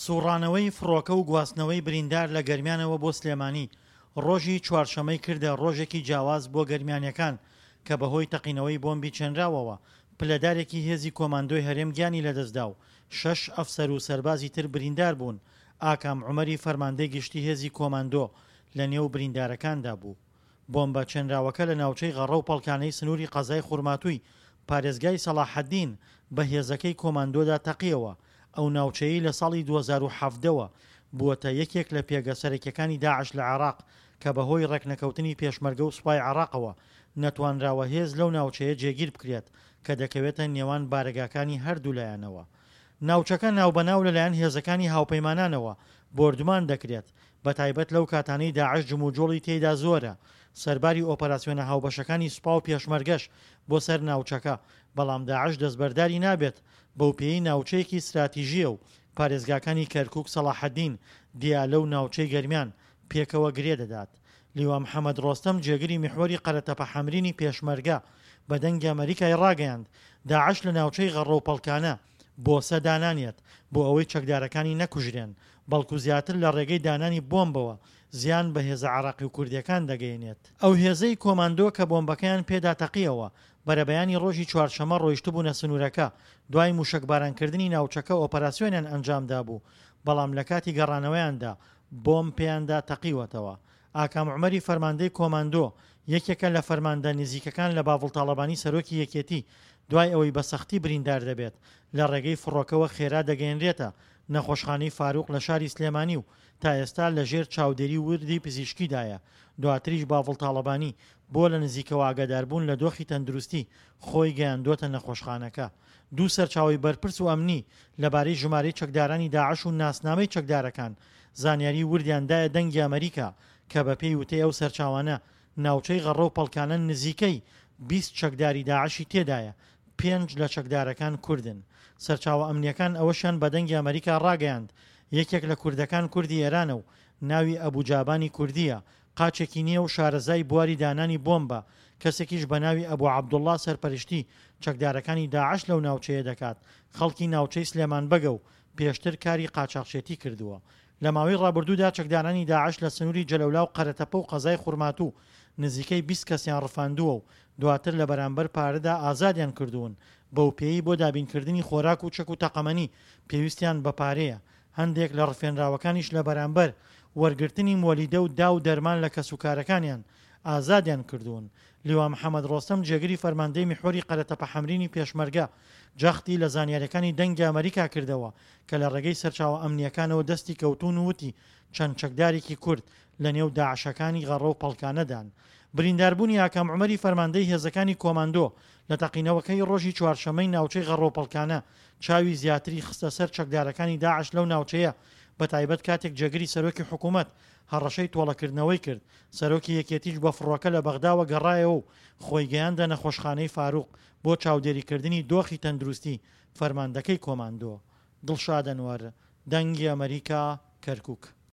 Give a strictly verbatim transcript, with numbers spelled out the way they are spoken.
سوڕانەوەی فڕۆکە و گواستنەوەی بریندار لە گەرمیانەوە بۆ سلێمانی ڕۆژی چوارشەمەی کردە ڕۆژێکی جیاواز بۆ گەرمیانیەکان کە بەهۆی تەقینەوەی بۆمبی چێنراوەوە پلەدارێکی هێزی کۆماندۆی هەرێم گیانی لەدەستدا و شەش ئەفسەر و سەربازی تر بریندار بوون، ئاکام عومەری فەرماندەی گشتی هێزی کۆماندۆ لەنێو بریندارەکاندا بوو. بۆمبە چێنراوەکە لە ناوچەی غەڕە و پەڵکانەی سنووری قەزای خورماتووی پارێزگای سەڵاحەدین بە هێزەکەی کۆماندۆدا تەقیەوە، ئەو ناوچەیەی لە ساڵی دوو هەزار و حەڤدە وە بووەتە یەکێک لە پێگە سەرەکیەکانی داعش لە عێراق کە بەهۆی ڕێکنەکەوتنی پێشمەرگە و سوپای عێراقەوە نەتوانراوە هێز لەو ناوچەیە جێگیر بکرێت کە دەکەوێتە نێوان بارەگاکانی هەردوولایانەوە. ناوچەکە ناوبەناو لەلایەن هێزەکانی هاوپەیمانانەوە بۆردومان دەکرێت، بەتایبەت لەو کاتانەی داعش جموجۆڵی تێیدا زۆرە، سەرباری ئۆپەراسیۆنە هاوبەشەکانی سوپا و پێشمەرگەش بۆ سەر ناوچەکە، بەڵام داعش دەستبەرداری نابێت، بەوپێیەی ناوچەیەکی ستراتیژییە و پارێزگاکانی کەرکوک، سەڵاحەدین، دیالە و ناوچەی گەرمیان پێکەوە گرێ دەدات. لیوا محەمەد ڕۆستەم جێگری میحوەری قەرەتەپە حەمرینی پێشمەرگە بە دەنگی ئەمەریکای ڕاگەیاند، داعش لە ناوچەی غەڕە و پەڵکانە بۆسە دانانێت بۆ ئەوەی چەکدارەکانی نەکوژرێن، بەڵکو زیاتر لە ڕێگەی دانانی بۆمبەوە زیان بە هێزە عێراقی و کوردییەکان دەگەیەنێت. ئەو هێزەی کۆماندۆ کە بۆمبەکەیان پێدا تەقییەوە، بەرەبەیانی ڕۆژی چوارشەممە ڕۆیشتبوونە سنوورەکە، دوای مووشەکبارانکردنی ناوچەکە ئۆپەراسیۆنیان ئەنجامدابوو، بەڵام لەکاتی گەڕانەوەیاندا بۆمب پێیاندا تەقیوەتەوە. ئاکام عومەری فەرماندەی کۆماندۆ، یەکێکە لە فەرماندە نزیکەکان لە باڤڵ تاڵەبانی سەرۆکی یەکێتی، دوای ئەوەی بە سەختی بریندار دەبێت، لە ڕێگەی فڕۆکەوە خێرا دەگەیەنرێتە نەخۆشخانەی فاروق لە شاری سلێمانی و تا ئێستا لە ژێر چاودێری وردی پزیشکیدایە، دواتریش باڤڵ تاڵەبانی بۆ لە نزیکەوە ئاگاداربوون لە دۆخی تەندروستی خۆی گەیاندووەتە نەخۆشخانەکە. دوو سەرچاوەی بەرپرس و ئەمنی لەبارەی ژمارەی چەکدارانی داعش و ناسنامەی چەکدارەکان زانیاری وردیان دایە دەنگی ئەمەریکا کە بەپێی وتەی ئەو سەرچاوانە ناوچەی غەڕە و پەڵکانە نزیکەی بیست چەکداری داعشی تێدایە، پێنج لە چەکدارەکان کوردن. سەرچاوە ئەمنییەکان ئەوەشیان بە دەنگی ئەمەریکا ڕاگەیاند، یەکێک لە کوردەکان کوردی ئێرانە و ناوی ئەبو جابانی کوردییە، قاچێکی نییە و شارەزای بواری دانانی بۆمبە، کەسێکیش بە ناوی ئەبو عەبدوڵڵا سەرپەرشتی چەکدارەکانی داعش لەو ناوچەیە دەکات، خەڵکی ناوچەی سلێمان بەگە و پێشتر کاری قاچاخچێتی کردووە. لە ماوەی ڕابردوودا چەکدارانی داعش لە سنووری جەلەولا و قەرەتەپە و قەزای خورماتوو نزیکەی بیست کەسیان ڕفاندووە و دواتر لە بەرامبەر پارەدا ئازادیان کردوون، بەوپێیەی بۆ دابینکردنی خۆراک و چەک و تەقەمەنی پێویستیان بە پارەیە، هەندێک لە ڕفێنراوەکانیش لە بەرامبەر وەرگرتنی مۆلیدە و دا و دەرمان لە کەسوکارەکانیان ئازادیان کردوون. لیوا محەمەد ڕۆستەم جێگری فەرماندەی میحوەری قەرەتەپە حەمرینی پێشمەرگە جەختی لە زانیاریەکانی دەنگی ئەمەریکا کردەوە کە لە ڕێگەی سەرچاوە ئەمنییەکانەوە دەستی کەوتوون و وتی چەند چەکدارێکی کورد لە نێو داعشەکانی غەڕە و پەڵکانەدان. برینداربوونی ئاکام عومەری فەرماندەی هێزەکانی کۆماندۆ لە تەقینەوەکەی ڕۆژی چوارشەممەی ناوچەی غەڕە و پەڵکانە چاوی زیاتری خستە سەر چەکدارەکانی داعش لەو ناوچەیە بەتایبەت کاتێک جێگری سەرۆکی حکوومەت هەڕەشەی تۆڵەکردنەوەی کرد، سەرۆکی یەکێتیش بە فڕۆکە لە بەغداوە گەڕایەوە و خۆی گەیاندە نەخۆشخانەی فاروق بۆ چاودێریکردنی دۆخی تەندروستی فەرماندەکەی کۆماندۆ. دڵشاد ئەنوەر، دەنگی ئەمەریکا، کەرکوک.